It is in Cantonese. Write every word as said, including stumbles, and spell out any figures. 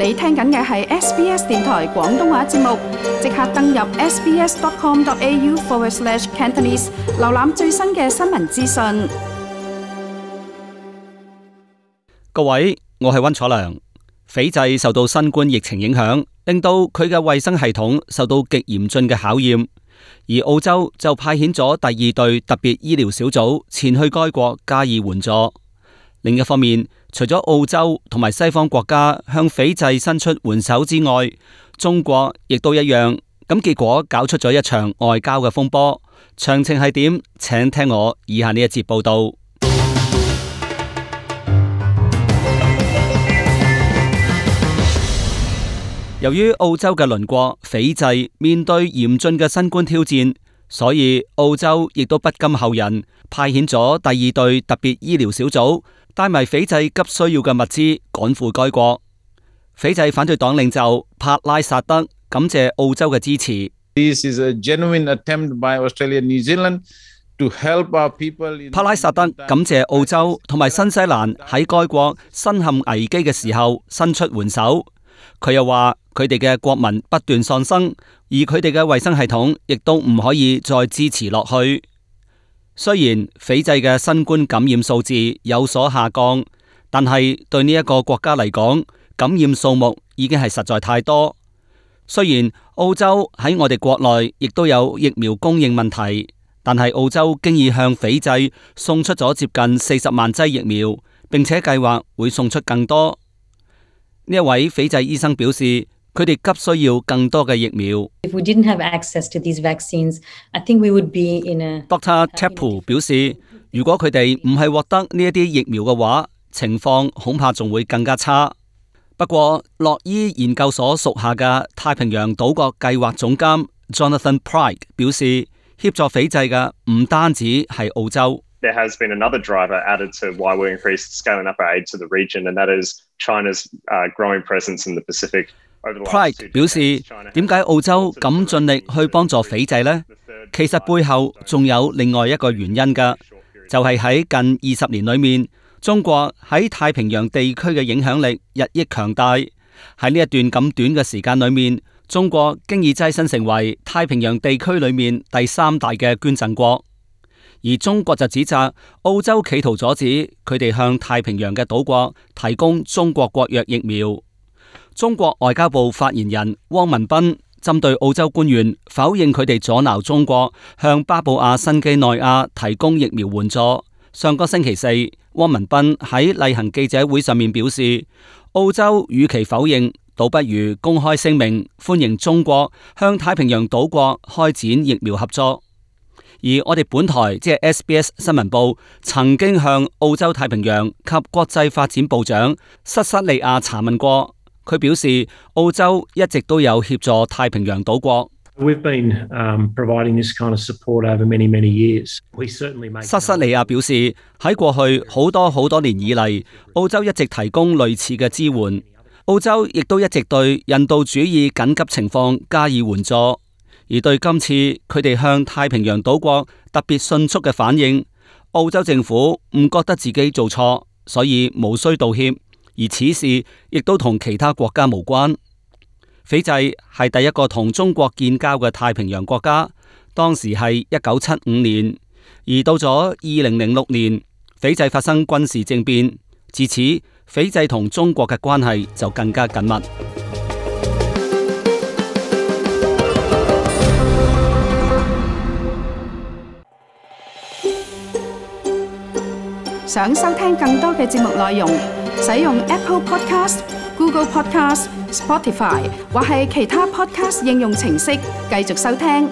你聽緊嘅係 S B S 電台廣東話節目，即刻登入 sbs.com.au forward slash Cantonese， 瀏覽最新嘅新聞資訊。各位，我係溫楚良。斐濟受到新冠疫情影響，令到佢嘅衛生系統受到極嚴峻嘅考驗，而澳洲就派遣咗第二隊特別醫療小組前去該國加以援助。另一方面，除咗澳洲同埋西方國家向斐濟伸出援手之外，中國亦都一樣，咁結果搞出咗一場外交嘅風波。詳情係點？請聽我以下呢一節報道。由於澳洲嘅鄰國斐濟面對嚴峻嘅新冠挑戰，所以澳洲亦都不甘後人，派遣咗第二隊特別醫療小組，帶埋斐濟急需要嘅物資趕赴該國。斐濟反對黨領袖帕拉薩德感謝澳洲嘅支持。This is a genuine attempt by Australia and New Zealand to help our people. 帕拉薩德感謝澳洲同埋新西蘭喺該國身陷危機嘅時候伸出援手。佢又話佢哋嘅國民不斷喪生，而佢哋嘅衛生系統亦都唔可以再支持落去。雖然斐濟嘅新冠感染數字有所下降，但係對呢一個國家嚟講，感染數目已經係實在太多。雖然澳洲喺我哋國內亦都有疫苗供應問題，但係澳洲經已向斐濟送出咗接近四十萬劑疫苗，並且計劃會送出更多。呢一位斐濟醫生表示，佢哋急需要更多嘅疫苗。If we didn't have access to these vaccines, I think we would be in a Doctor Tepu 表示，如果佢哋唔係獲得呢一啲疫苗嘅話，情況恐怕仲會更加差。不過，洛伊研究所屬下嘅太平洋島國計劃總監 Jonathan Pryke 表示，協助斐濟嘅唔單止係澳洲。There has been another driver added to why we're increased scaling up our aid to the region, and that is China's uh, growing presence in the Pacific. Pryke 表示，點解澳洲咁盡力去幫助斐濟呢？其實背後仲有另外一個原因㗎，就係喺近二十年裏面，中國喺太平洋地區嘅影響力日益強大。喺呢一段咁短嘅時間裏面，中國經已躋身成為太平洋地區裏面第三大嘅捐贈國。而中國就指責澳洲企圖阻止佢哋向太平洋嘅島國提供中國國藥疫苗。中國外交部發言人汪文斌針對澳洲官員否認佢哋阻撓中國向巴布亞新畿內亞提供疫苗援助。上個星期四，汪文斌喺例行記者會上面表示，澳洲與其否認，倒不如公開聲明歡迎中國向太平洋島國開展疫苗合作。而我哋本台即係 S B S 新聞部曾經向澳洲太平洋及國際發展部長塞塞利亞查問過，佢表示澳洲一直都有協助太平洋島國。We've been, um, providing this kind of support over many, many years. We certainly make. 塞塞利亞表示喺過去好多好多年以嚟，澳洲一直提供類似嘅支援。澳洲亦都一直對人道主義緊急情況加以援助。而對今次佢哋向太平洋島國特別迅速嘅反應，澳洲政府唔覺得自己做錯，所以無需道歉。而此事亦都同其他國家無關。斐濟係第一個同中國建交嘅太平洋國家，當時係一九七五年。而到咗二零零六年，斐濟發生軍事政變，自此斐濟同中國嘅關係就更加緊密。想收聽更多嘅節目內容，使用 Apple Podcast、Google Podcast、Spotify 或係其他 Podcast 應用程式繼續收聽。